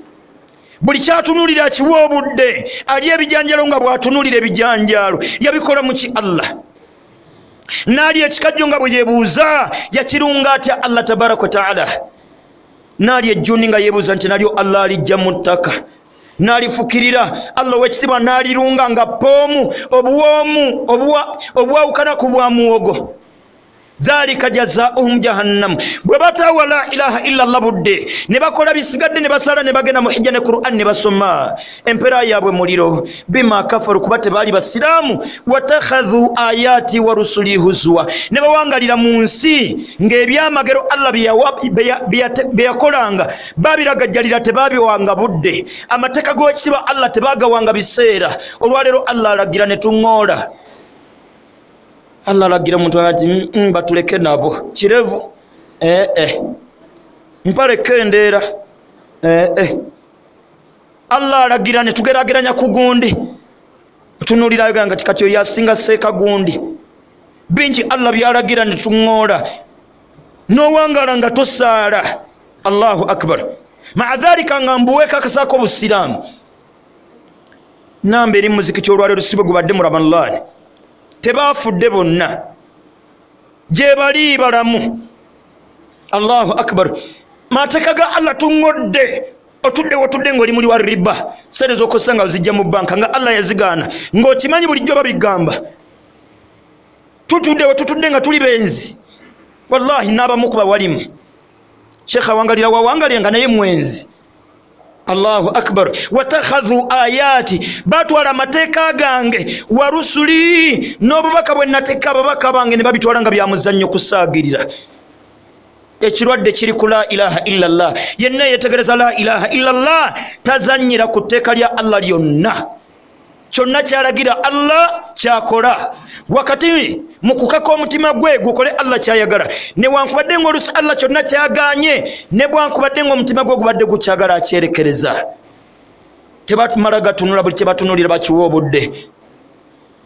Buli kyatunuulira akiwa obudde. Ali ebijanjalo nga bw'atunuulira ebijanjalo yabikola mu ki Allah. N'ali ekikajjo nga bwe yeebuuza yakirunga atya Allah tabaraka wa taala. N'ali ejjuni nga yeebuuza nti nalyo Allah alijja mu ttaka, n'alifukirira Allah ow'ekitiibwa n'alirunga nga poomu obuwoomu obwawukana ku bwa muwogo. Dhalika jazaohum jahannam, bwe bataawa la ilaha illa Allah budde ne bakola bisigadde ne basala ne bagenda mu hijja ne Qur'an ne basoma, empeera yaabwe muliro. Bima kafaru, kuba tebaali basiraamu. Watakhadhu ayati wa rusuli huzuwa, ne bawangalira mu nsi ng'ebyamagero Allah bye yakolanga babiragajjalira, tebabiwanga budde. Amateeka g'owekitiibwa Allah tebagawanga biseera. Olwaleero Allah alagira ne tuŋŋoola. Allah alagira omuntu ati batuleke nabo kirevu, mpale kendeera. Allah alagira ne tugerageranya ku gundi, tunuulirayo nga kati oyo asinga seeka gundi. Bingi Allah byalagira ne tuŋŋoola, n'owangala nga tosaala. Allahu akbar. Maa dhalika nga mbuweekakasaako obusiraamu. Namba eri muzikiti olwaleero si bwe gubadde mu Ramadhan, tebafudde bonna, gye bali balamu. Allahu akbar. Mateeka ga Allah tuŋŋodde. Otudde wotudde ng'oli muli wa riba, sente z'okozesa nga ozijja mu banka nga Allah yazigaana, ng'okimanyi bulijjo babigamba. Tutudde wetutudde nga tuli benzi, wallahi n'abamu ku bawalimu. Sheikh awangalira wawangalira nga naye mwenzi. Allahu akbar. Watakhadhu ayati, batwala amateeka gange, wa rusuli, n'obubaka bwe nateeka ababaka bange ne babitwala nga bya muzannyo kusaagirira. Ekirwadde kiri ku la ilaha illa Allah. Yenna yeetegereza la ilaha illa Allah tazannyira ku tteeka lya Allah lyonna. Kyonna kyalagira Allah kyakola. Wakati mu kukaka omutima gwe gukole Allah kyayagala, newankubadde ng'oluusi Allah kyonna kyagaanye, ne bwankubadde ng'omutima gwe gubadde gukyagala akyerekereza. Tebatumala gatunula, buli kye batunuulira bakiwa obudde.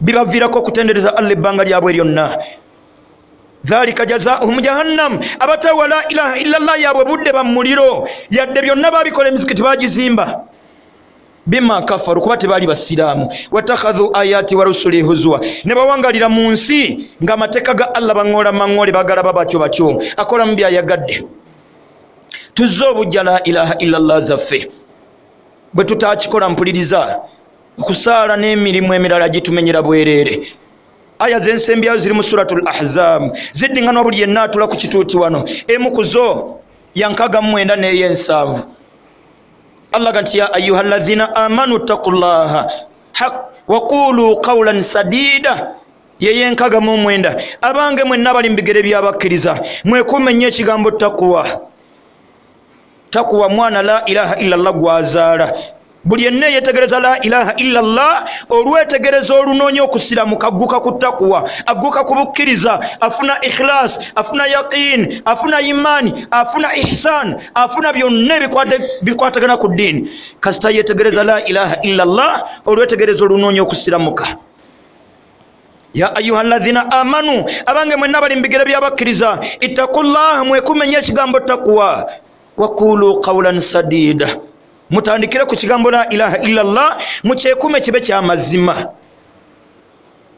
Bibaviirako okutendereza Allah ebbanga lyabwe lyonna. Dhalika jazaohum jahannam, abatawa la ilaha illa Allah yaabwe budde ba muliro, yadde byonna babikola emizikiti bagizimba. Bima kafaru, kuba tebaali basiraamu. Watakhadhu ayati wa rusuli huzuwa, ne bawangalira mu nsi ng'amateeka ga Allah baŋŋoola maŋŋoole, bagalaba batyo batyo, akolamu by'ayagadde. Tuzze obujja la ilaha illa Allah zaffe. Bwe tutakikola mpuliriza, okusaala n'emirimu emirala gitumenyera bwereere. Aya z'ensembyayo ziri mu Suratul Ahzab, ziddiŋŋanwa buli yenna atula ku kituuti wano. Emu ku zo ya 69 n'ey'ensanvu. Allah ga nti ya ayuha llazina amanu ttaqullaha waqulu qawlan sadida, yeyenkaga mu mwenda. Abange mwenna bali mbigere byabakkiriza, mwekuume nnyo ekigambo takuwa. Takuwa mwana la ilaha illallah gwazaala. Buli yenna yetegereza la ilaha illallah, olwetegereza olunoonya okusiramuka, agguka ku takuwa, agguka ku bukkiriza, afuna ikhlas, afuna yaqin, afuna imani, afuna ihsan, afuna byonna bikwatagana ku ddiini. Kasita yetegereza la ilaha illallah, olwetegereza olunoonya okusiramuka. Ya ayuha alladhina amanu, abange mwenna bali mbigere byabakkiriza, ittaqullaha, mwekuume nnyo ekigambo takuwa, waqulu qawlan sadida, mutandikire ku kigambo la ilaha illallah, mukyekuume kibe kyamazima.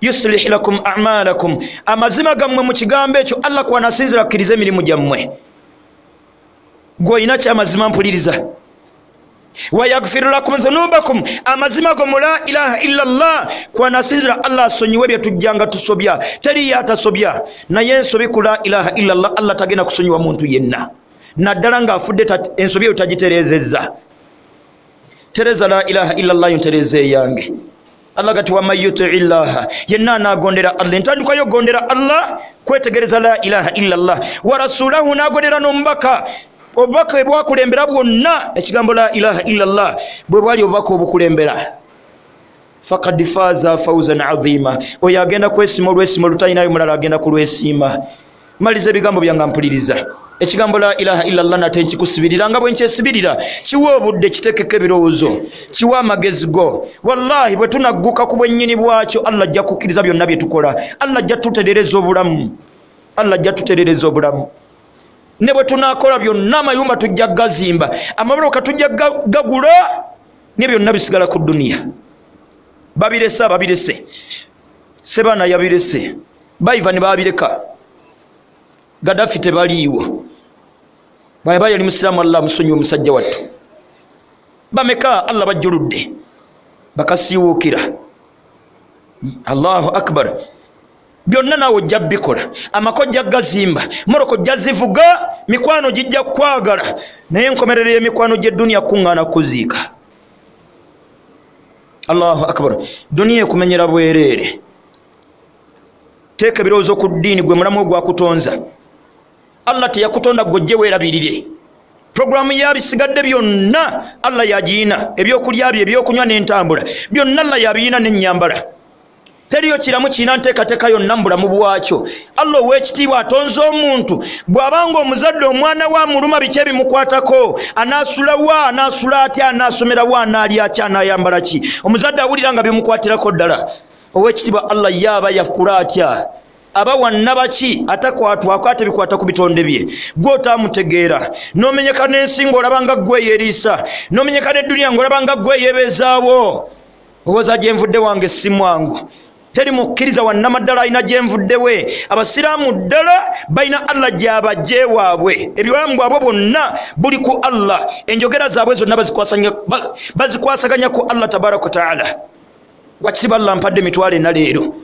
Yuslih lakum a'malakum, amazima gammwe mu kigambo ekyo Allah kwanasinzira akkiriza emirimu gyammwe. Gw'olina kyamazima mpuliriza. Wayaghfir lakum dhunubakum, amazima go mu la ilaha illallah kwanasinzira Allah asonyiwe bye tujjanga tusobya. Teriyo atasobya, naye ensobi ku la ilaha illallah Allah tagenda kusonyiwa muntu yenna, naddala ng'afudde ensobi eyo tagitereezezza. Tereza la ilaha illallah, ntereza eyange. Allah gati waman yutii llaha, yenna anagondera Allah. Entandikwa yogondera Allah kwetegereza la ilaha illallah, wa rasulahu, n'agondera n'omubaka. Obubaka bwakulembera bwonna ekigambo la ilaha illallah bwe bwali obubaka obukulembera. Fakad faza fawzan azima, oyo agenda kwesiima olwesiima olutalinayo mulala agenda kulwesiima. Maliza ebigambo byange mpuliriza. Ekigambo la ilaha illallah nate nkikusibirira nga bwe nkyesibirira. Kiwa obudde, kitekeko ebirowoozo, kiwa amagezi go. Wallahi bwe tunagguka ku bwennyini bwakyo, Allah ajja kukkiriza byonna bye tukola. Allah ajja tuterereza obulamu, Allah ajja tuterereza obulamu. Ne bwe tunaakola byonna, amayumba tujja gazimba, amaboloka tujja gagula, ne byonna bisigala ku duniya. Babirese ababirese, Sebaana yabirese, Baiva ne babireka, Gaddafi tebaliiwo. Bw'aba yali musiraamu Allah amusonyiwe omusajja wattu. Bameka Allah bajjuludde bakasiiwuukira. Allahu akbar. Byonna naawe ojja bikola, amaka ojja gazimba, moroko ojja zivuga, mikwano gijja kwagala, naye enkomerero y'emikwano gy'edduniya kuŋŋaana kuziika. Allahu akbar. Duniya ekumenyera bwereere. Teeka ebirowoozo ku ddiini, gwe mulamu ogwakutonza. Allah teyakutonda gw'ojje weerabirire. Programu yabisigadde byonna Allah yagiina, ebyokulya bye, ebyokunywa n'entambula byonna Allah yabiina n'ennyambala. Teriyo kiramu kirina nteekateeka yonna mu bulamu bwakyo. Allah ow'ekitiibwa atonze omuntu, bw'abanga omuzadde omwana we amuluma biki ebimukwatako, anaasulawa, anaasula atya, anaasomerawa, anaalya ki, anaayambala ki, omuzadde awulira nga bimukwatirako ddala. Ow'ekitiibwa Allah ye aba yakula atya, aba wannabaki atakwatwako ate bikwata ku bitonde bye. Gwe otaamutegeera, n'omenyeka n'ensi ng'olaba nga ggwe yeeriisa, n'omenyeka n'edduniya ng'olaba nga ggwe yeebeezaawo. Owoza gye nvudde wange si mwangu. Teri mukkiriza wannamaddala alina gye nvudde we. Abasiraamu ddala balina Allah gy'abajje waabwe. Ebibalamu bwabwe bwonna buli ku Allah. Enjogera zaabwe zonna bazikwasaganya ku Allah tabaraka wa taala. Wakitiibwa Allah mpadde emitwalo ena leero,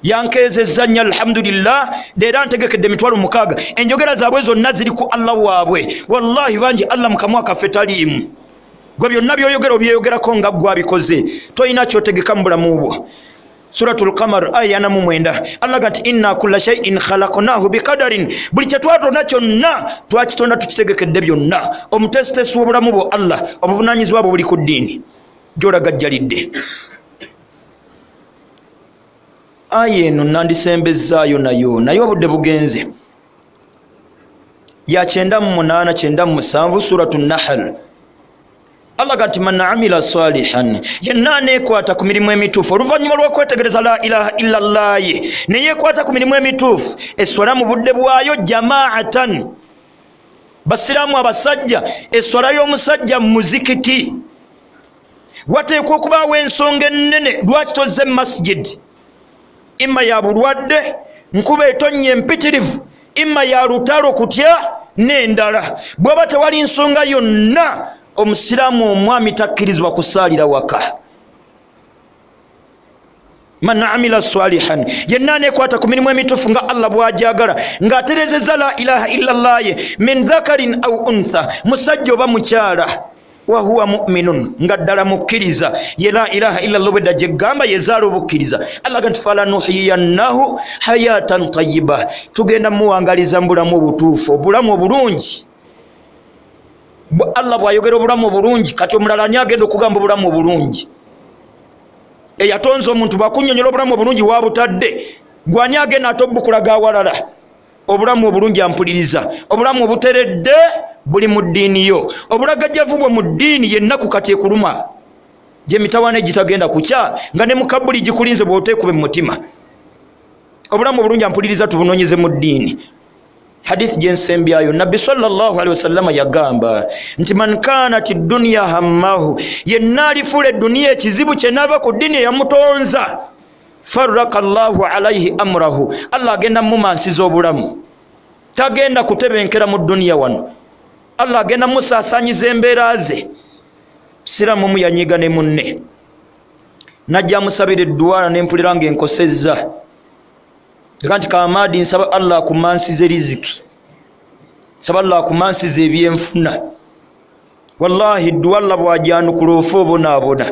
yankeezezza nnyo alhamdulillah, leero ntegekedde emitwalo 6. Enjogera zaabwe zonna ziri ku Allah waabwe. Wallahi bangi Allah mu kamwa kaffe taliimu. Gwe byonna by'oyogera obyeyogerako nga ggwe abikoze, tolina ky'otegeka mu bulamu bwo. Suratul Qamar aya 49, Allah gati inna kulla shay'in khalaqnahu biqadarin, buli kye twatonda kyonna twakitonda tukitegekedde byonna. Omutesitesi w'obulamu bwo Allah, obuvunaanyizibwa bwo buli ku ddiini gy'olagajjalidde. Aya eno nandisembezaayo nayo, naye obudde bugenze. Ya 98 97 Suratul Nahl. Allah gati man amila salihan, yenna aneekwata ku mirimu emituufu oluvannyuma lw'okwetegereza la ilaha illallah ye, ne yeekwata ku mirimu emituufu, esswala mu budde bwayo jamaatan, basiraamu abasajja, esswala y'omusajja mu muzikiti. Wateekwa okubaawo ensonga ennene lwaki tozze mu masjid. Imma ya bulwadde, nkuba etonnya empitirivu, imma ya lutalo kutya n'endala. Bw'aba tewali nsonga yonna, omusiraamu omwami takkirizibwa kusaalira waka. Man amila salihan, yenna aneekwata ku mirimu emituufu nga Allah bw'agyagala, ng'atereezezza la ilaha illallah ye, min dhakarin au untha, musajja oba mukyala. Wahuwa muminun, nga ddala mukkiriza. Ye la ilaha illallah bwedda gyegamba yezaala obukkiriza. Allah ga nti falanuhiyannahu hayatan tayiba, tugenda muwangaliza mu bulamu obutuufu, obulamu obulungi. Allah bw'ayogera obulamu obulungi, kati omulala ani agenda okugamba obulamu obulungi? Eyatonza omuntu bwakunnyonnyola obulamu obulungi wabutadde, gwani agenda ate obukulaga awalala? Obulamu obulungi ampuliriza, obulamu obuteredde buli mu ddiini yo. Obulagajjavu bwe mu ddiini yennaku kati ekuluma, gyemitawaana egitagenda kukya nga ne mukabuli gikulinze bw'oteekube mu mutima. Obulamu obulungi ampuliriza tubunoonyeze mu ddiini. Hadith gyensembyayo, Nabbi sallallahu alaihi wasallama yagamba nti man kanat dunya hammahu, yenna alifuula edduniya ekizibu kye n'ava ku ddiini eyamutonza, farraka Allahu alaihi amrahu, Allah agenda mumansiza obulamu, tagenda kutebenkera mu duniya wano, Allah agenda musaasaanyiza embeera ze. Siramu mu yanyiga ne munne, najja amusabira edduwala nempulira ng'enkosezza. Ega nti Kamadi, nsaba Allah akumansize riziki, nsaba Allah akumansize ebyenfuna. Wallahi dduwa Allah bw'agyanukula ofa obonaabona.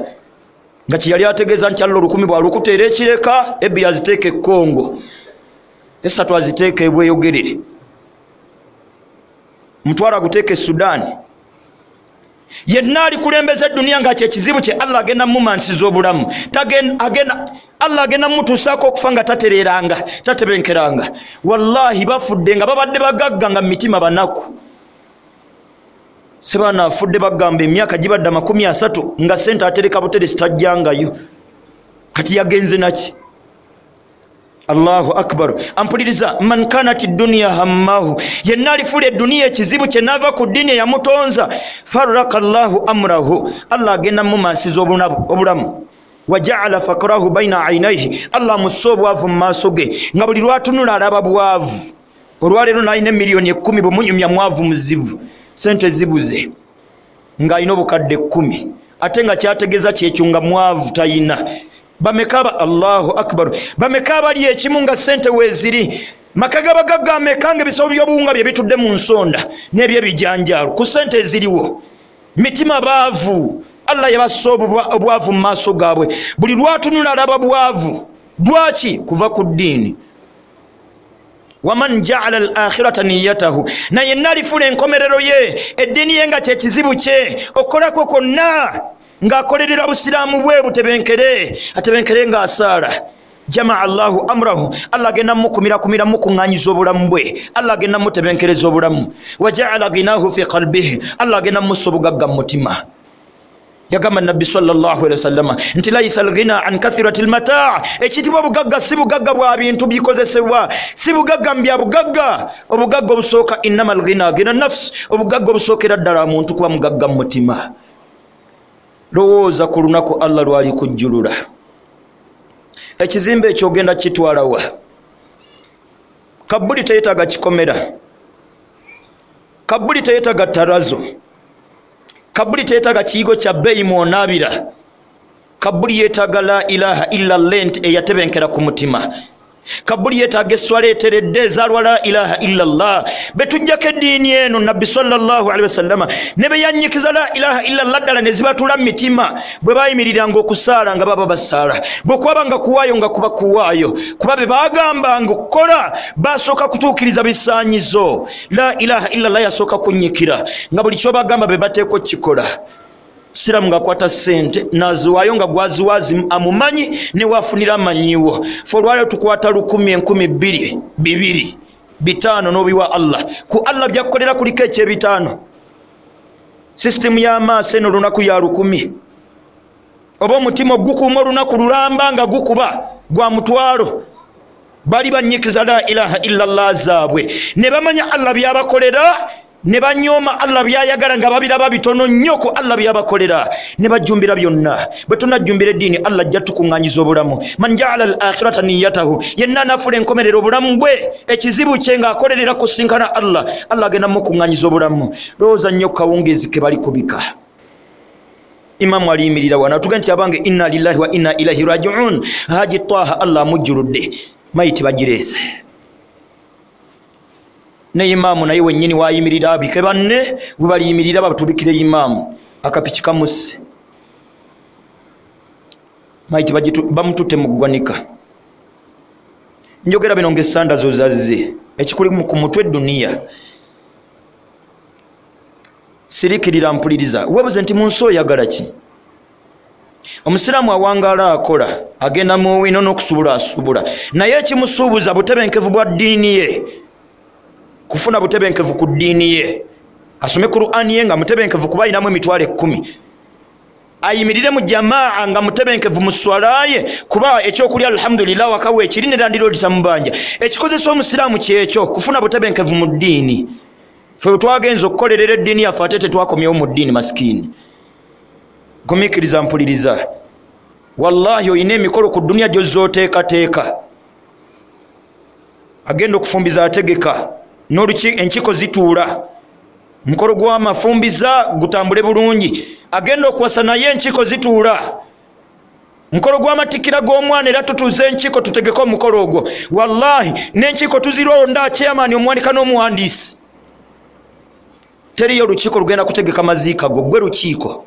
Nga kyeyali ategeeza nti Allah 1000 bw'alukuteera ekireka, 2 aziteeka e Kongo, 3 aziteeka e Bweyogerere, 5 aguteeka e Sudaani. Yenna alikulembeza eduniya nga kyekizibu kye, Allah agenda mumansiza obulamu. Allah agenda mutuusaako okufa nga tatereranga, tatebenkeranga. Wallahi bafudde nga babadde bagagga nga mitima banaku. Sebaana afudde bagamba emyaka gibadde 30 nga sente atereka buteresi tajjangayo. Kati yagenze naki? Allahu akbar. Ampuliriza, man kanat dunya hammahu, yenna alifuula eduniya ekizibu kye n'ava ku ddiini eyamutonza, farraka Allahu amrahu, Allah agenda mumansiza obulamu. Wajaala fakrahu baina ainaihi, Allah amussa obwavu mu maaso ge, nga buli lwatunula alaba bwavu. Olwaleero n'alina emiliyoni 10 bwemunyumya mwavu muzibu, sente zibuze, ng'alina obukadde 10, ate nga kyategeeza kyekyo nga mwavu tayina. Bameka, Allahu akbar, bameka abali ekimu nga sente weeziri, maka gabagagga ameka nga ebisawo by'obuwunga bye bitudde mu nsonda n'ebyebijanjaalo ku sente eziriwo. Mitima baavu, Allah yabassa obwavu mu maaso gaabwe, buli lwatunula alaba bwavu. Lwaki? Kuva ku ddiini. Waman jaala al-akhirata niyatahu, na yenna alifuula enkomerero ye eddiini ye nga kyekizibu kye, okukolako kwonna ng'akolerera busiraamu bwe butebenkere, atebenkere ng'asaala. Jamaa Allahu amrahu, Allah agenda mukumirakumira mukuŋŋaanyiza obulamu bwe, Allah agenda mutebenkereza obulamu. Wajaala ginahu fi qalbihi, Allah agenda mussa obugagga mu mutima. Yagamba Nabbi sallallahu alaihi wasallama nti laisa alghina an kathirati almataa, ekitibwa obugagga si bugagga bwa bintu bikozesebwa, si bugagga mbya bugagga. Obugagga obusooka innama alghina ghina nafs, obugagga obusookera ddala muntu kuba mugagga mu mutima. Lowooza ku lunaku Allah lwali kujjulula. Ekizimbe ekyo ogenda kitwalawa? Kabuli teyetaaga kikomera, kabuli teyetaaga tarazo, kabuli teyetaaga kiyigo kya bbeeyi mwonaabira. Kabuli yeetaaga la ilaha illa lent eyatebenkera ku mutima. Kabuli yeetaaga esswala eteredde ezaalwa la ilaha illa Allah. Betujjako eddiini eno Nabbi sallallahu alaihi wasallama ne beyanyikiza la ilaha illa Allah ddala ne zibatula mu mitima, bwe bayimiriranga okusaala nga baba basaala, bwe kwabanga kuwaayo nga kuba kuwaayo, kuba be bagambanga okukola basooka kutuukiriza bisaanyizo. La ilaha illa Allah yasooka kunnyikira nga buli kyobagamba be bateeka okukikola. Siramu ng'akwata ssente n'aziwaayo nga gwaziwaazi amumanyi ne wafunira amanyiwo. Fe olwaleero tukwata 1000, 2000, 2, 5 n'obiwa Allah. Ku Allah byakkolera kuliko ekyebitaano. Sisitimu y'amaaso eno olunaku ya 1000, oba omutima ogukuuma olunaku lulamba nga gukuba gwa 500. Bali bannyikiza la ilaha illa Allah zaabwe ne bamanya Allah byabakolera, ne banyooma Allah byayagala nga babiraba bitono nnyo ku Allah byabakolera, ne bajjumbira byonna. Bwe tunajjumbira eddiini Allah ajja tukuŋŋaanyiza obulamu. Man jaala al-akhirata niyatahu, yenna anaafula enkomerero obulamu bwe ekizibu kye ng'akolerera kusinkana Allah, Allah agenda mukuŋŋaanyiza obulamu. Lowooza nnyo kawungeezi ke bali kubika. Imamu aliyimirira wano atuge nti abange inna lillahi wa inna ilaihi rajiun. Haji Taha Allah amujjuludde, mayiti bagireese. Ne imaamu naye wennyini wayimirira abike banne, we baliyimirira batubikire imaamu. Akapiki kamusse. Maiti bamututte mu ggwanika. Njogera bino ng'essanda zo zazze. Ekikuli ku mutwe duniya. Sirikirira mpuliriza. Weebuze nti mu nsi oyagala ki? Omusiraamu awangaala akola, agenda mu wino n'okusubula asubula. Naye ekimusuubuza butebenkevu bwa ddiini ye. Kufuna butebenkevu ku ddiini ye. Asome Qur'ani ye nga mutebenkevu kuba ayinamu emitwalo 10. Ayimirire mu jamaa nga mutebenkevu mu swala ye kuba ekyokulya alhamdulillah wakawe ekiri ne landiroodi tamubanja. Ekikozesa omusiraamu kyekyo kufuna butebenkevu mu ddiini. Ffe twagenza okukolerera eddiini yaffe ate tetwakomyewo mu ddiini masikini. Gumiikiriza mpuliriza. Wallahi oyina emikolo ku dduniya gy'ozooteekateeka. Agenda okufumbiza ategeka enkiiko zituula. Mukolo gw'amafumbiza gutambule bulungi. Agenda okuwasa naye enkiiko zituula. Mukolo gw'amatikkira g'omwana era tutuuze enkiiko tutegeke omukolo ogwo. Wallahi n'enkiiko tuzironda chairman omuwanika n'omuwandiisi. Teriyo olukiiko lugenda kutegeka maziika go, gwe lukiiko.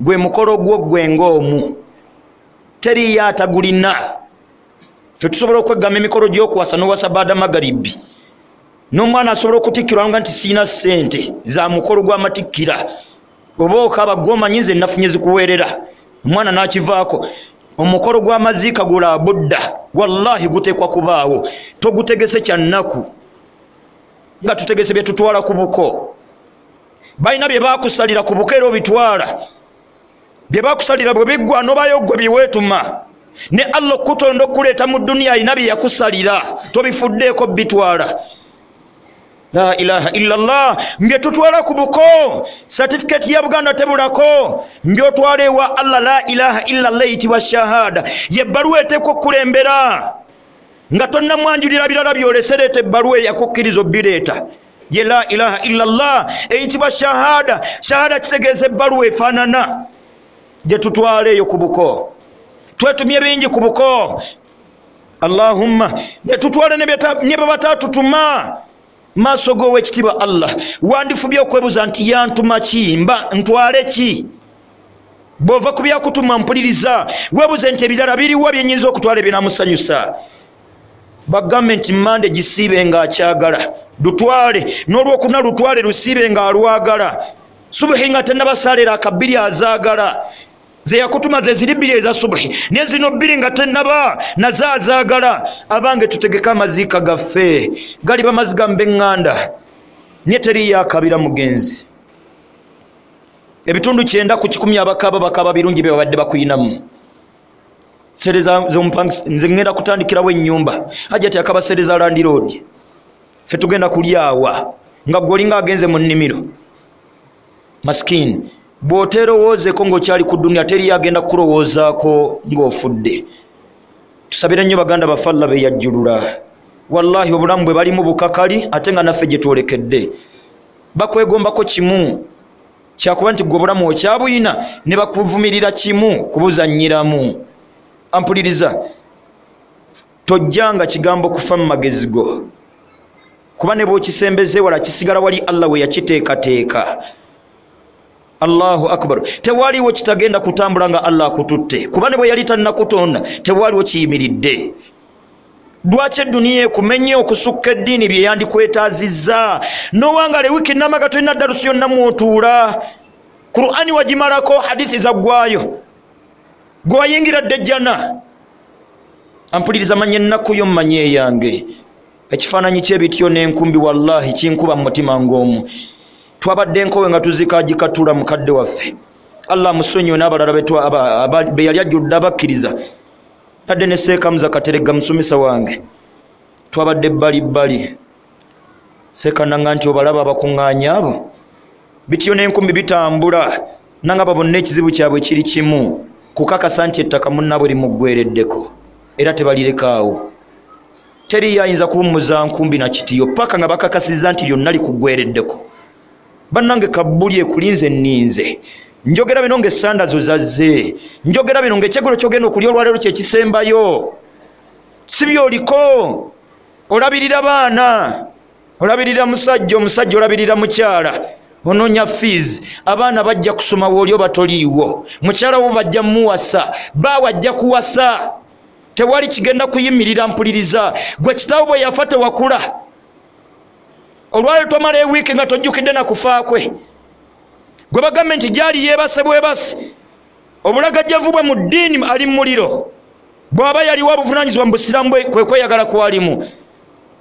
Gwe mukolo gwo gwe ng'omu. Teriyo atagulina. Ffe tusobola okweggama emikolo gy'okuwasa n'owasa baada magaribi. N'omwana asobola okutikkirwa nga nti siina ssente za mukolo gw'amatikkira. Oba okaba gw'omanyi nze nafunye zikuweerera. Omwana n'akivaako. Omukolo gw'amaziika gula budda. Wallahi guteekwa kubaawo. Togutegese kya nnaku. Nga tutegese bye tutwala ku buko. Balina bye baakusalira ku buko era obitwala. Bye baakusalira bwe biggwa n'obayo ggwe bye weetuma. Ne Allah okutonda okuleeta mu dduniya alina bye yakusalira. Tobifuddeeko bitwala. La ilaha illallah. Mbye tutwala ku buko. Certificate ya Buganda tebulako. Mbyotwala ewa Allah. La ilaha illallah eyitibwa shahada. Ye bbaluwa eteekwa okukulembera. Nga tonnamwanjulira birala byolese, leeta ebbaluwa eyakukkiriza obbireeta. Ye la ilaha illallah eyitibwa shahada. Shahada kitegeeza ebbaluwa efaanana gye tutwala eyo ku buko. Twetumye bingi ku buko. Allahumma ne tutwala ne bye bataatutuma. Maaso g'owekitiibwa Allah wandifubye okwebuuza nti yantuma ki, mba ntwale ki? Bw'ova ku byakutuma mpuliriza, weebuuze nti ebirala biriwa bye nnyinza okutwala ebinamusanyusa. Bagambe nti Mande gisiibe ng'akyagala, lutwale, n'olwokuna lutwale lusiibe ng'alwagala. Subuhi nga tennabasaalera akabbiri azaagala. Ze yakutuma ze ziri bbiri eza subuhi, ne zino bbiri nga tennaba nazo azaagala. Abange tutegeke amaziika gaffe, galiba maziga mb'eŋŋanda, naye teriyo akabira mugenzi. Ebitundu 90 ku 100 abakaaba bakaaba birungi bye babadde bakuyinamu. Sereza z'omupangisa, nze ŋŋenda kutandikirawo ennyumba. Hajjati akaba sereza landiroodi. Ffe tugenda kulyawa nga ggwe olinga agenze mu nnimiro. Masikini. Bw'oteerowoozeeko ng'okyali ku dduniya teriyo agenda kukulowoozaako ng'ofudde. Tusabire nnyo baganda baffe Allah be yajjulula. Wallahi obulamu bwe balimu bukakali ate nga naffe gye twolekedde. Bakwegombako kimu kyakuba nti ggwe obulamu okyabuyina ne bakuvumirira kimu kubuzannyiramu. Ampuliriza, tojjanga kigambo kufa mu magezi go. Kuba ne bw'okisembeze wala kisigala wali Allah we yakiteekateeka. Allahu akbar. Tewaliwo kitagenda kutambula nga Allah akututte. Kuba ne bwe yali tannakutonda tewaliwo kiyimiridde. Lwaki eduniya ekumenye okusukka eddiini bye yandikwetaazizza? Nowangala wiiki nnamba tolina ddalusi yonna mw'otuula. Qur'ani wagimalako, hadithi zaggwayo. Gwe wayingira dda ejjana. Ampuliriza, manya ennaku yo, mmanye eyange. Ekifaananyi ky'ebityo n'enkumbi wallahi kinkuba mu mutima ng'omu. Twabadde enkowe nga tuzika gikatula mukadde waffe. Allah amusonyiwe n'abalala be yali ajjudde abakkiriza. Nadde ne Seekamuza Kateregga musomesa wange. Twabadde bbali bbali. Seekananga nti obalaba abakuŋŋaanya abo. Bityo n'enkumbi bitambula. Nangaba bonna ekizibu kyabwe kiri kimu. Kukakasa nti ettaka munnaabwe limuggwereddeko. Era tebalirekaawo. Teriyo ayinza kuwummuza nkumbi na kitiyo paka nga bakakasizza nti lyonna likuggwereddeko. Bannange kabbuli ekulinze nninze. Njogera bino ng'essanda zo zazze. Njogera bino ng'ekyeggulo ky'ogenda okulya olwaleero kye kisembayo. Si by'oliko. Olabirira baana, olabirira musajja, omusajja olabirira mukyala, Onoonya fees, abaana bajja kusoma wooli oba toliiwo, mukyala wo bajja muwasa, baawe ajja kuwasa, tewali kigenda kuyimirira. Mpuliriza, gwe kitaawo bwe yafa tewakula, olwali tomala ewiiki nga tojjukidde na kufa kwe. Gwe bagambe nti gyali yeebase bwebase, obulagajjavu bwe mu ddiini ali mu muliro, bw'aba yaliwo obuvunaanyizibwa mu busiraamu bwe kwe kweyagala kwalimu.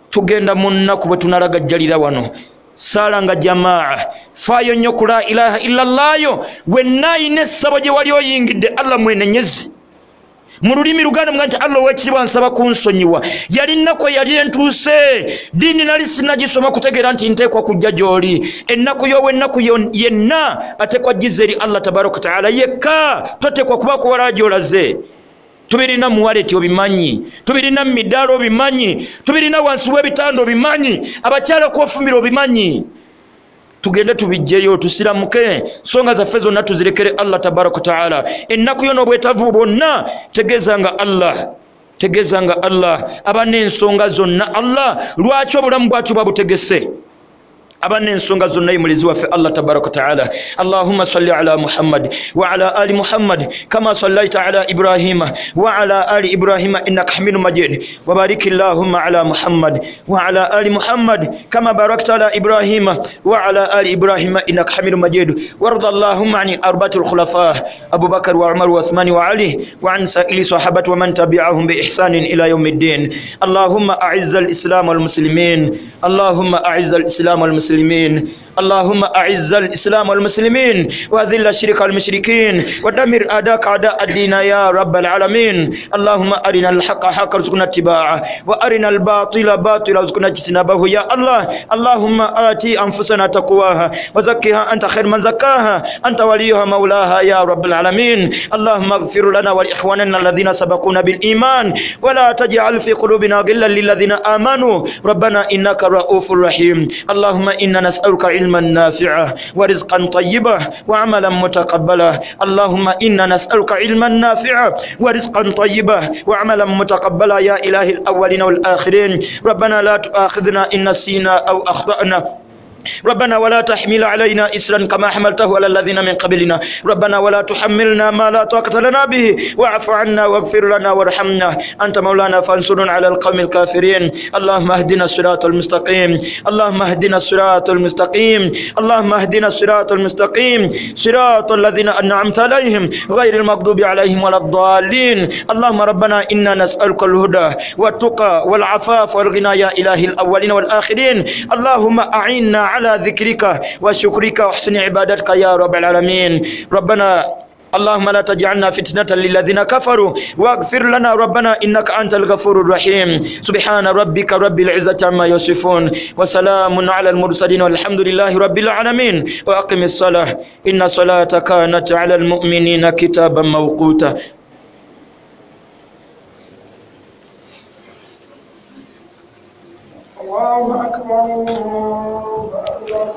Tugenda mu nnaku bwe tunalagajjalira wano. Saala nga jamaa, faayo nnyo ku la ilaha illallaayo. Wenna ayina essabo gye wali oyingidde, Allah mwenenyezi mu lulimi luganda muga nti Allah owekitiibwa nsaba kunsonyiwa, yali nnaku eyali entuuse, ddiini nali sinnagisoma kutegeera nti nteekwa kujja gy'oli. Ennaku y'owennaku yenna ateekwa giza eri Allah tabaraka wataala yekka, toteekwa kuba kuwala gy'olaze. Tubirina mu waleti obimanyi, tubirina mu midaala obimanyi, tubirina wansi w'ebitanda obimanyi, abakyala kwofumbira obimanyi. Tugende tubijjeyo, tusiramuke, nsonga zaffe zonna tuzirekere Allah tabaraka wataala. Ennaku yo n'obwetaavu bwonna tegeeza nga Allah, tegeeza nga Allah aba n'ensonga zonna. Allah lwaki obulamu bwatyo bwabutegese? Aba n'ensonga zonna ye mulezi waffe Allah tabaraka wataala. Allahumma salli ala Muhammad wa ala ali Muhammad kama sallaita ala Ibrahima wa ala ali Ibrahima innaka hamidu majid, wa barik allahumma ala Muhammad wa ala ali Muhammad kama barakta ala Ibrahima wa ala ali Ibrahima innaka hamidu majid. Warda allahumma ani arbati alkhulafa Abu Bakar wa Umar wa Uthman wa Ali wa an sa'ili sahabati wa man tabi'ahum bi ihsanin ila yawmi ddin. Allahumma a'izz al-islam wal muslimin, allahumma a'izz al-islam wal muslimin, اللهم أعز الإسلام والمسلمين وأذل الشرك والمشركين ودمر أعداءك أعداء الدين يا رب العالمين. اللهم أرنا الحق حقا وارزقنا اتباعه وأرنا الباطل باطلا وارزقنا اجتنابه يا الله. اللهم آتي أنفسنا تقواها وزكها أنت خير من زكاها أنت وليها مولاها يا رب العالمين. اللهم اغفر لنا ولإخواننا الذين سبقونا بالإيمان ولا تجعل في قلوبنا غلا للذين آمنوا ربنا إنك رؤوف رحيم. اللهم إنا نسألك علما نافعا ورزقا طيبا وعملا متقبلا. اللهم إنا نسألك علما نافعا ورزقا طيبا وعملا متقبلا يا إله الأولين والآخرين. ربنا لا تؤاخذنا إن نسينا أو أخطأنا، ربنا ولا تحمل علينا إسرا كما حملته على الذين من قبلنا، ربنا ولا تحملنا ما لا طاقة لنا به واعف عنا واغفر لنا وارحمنا أنت مولانا فانصرنا على القوم الكافرين. اللهم اهدنا الصراط المستقيم، اللهم اهدنا الصراط المستقيم، اللهم اهدنا الصراط المستقيم، صراط الذين أنعمت عليهم غير المغضوب عليهم ولا الضالين. اللهم ربنا إنا نسألك الهدى والتقى والعفاف والغنى يا إله الأولين والآخرين. اللهم أعنا على ذكرك وشكرك وحسن عبادتك يا رب العالمين. ربنا اللهم لا تجعلنا فتنة للذين كفروا واغفر لنا ربنا إنك أنت الغفور الرحيم. سبحان ربك رب العزة عما يصفون وسلام على المرسلين والحمد لله رب العالمين. وأقم الصلاة إن الصلاة كانت على المؤمنين كتابا موقوتا. الله أكبر الله أكبر،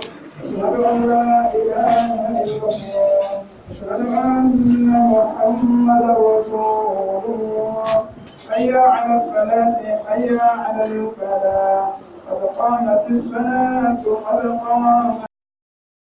أشهد أن لا إله إلا الله، أشهد أن محمدا رسول الله. حي على الصلاة حي على الفلاح، قد قامت الصلاة قد قامت.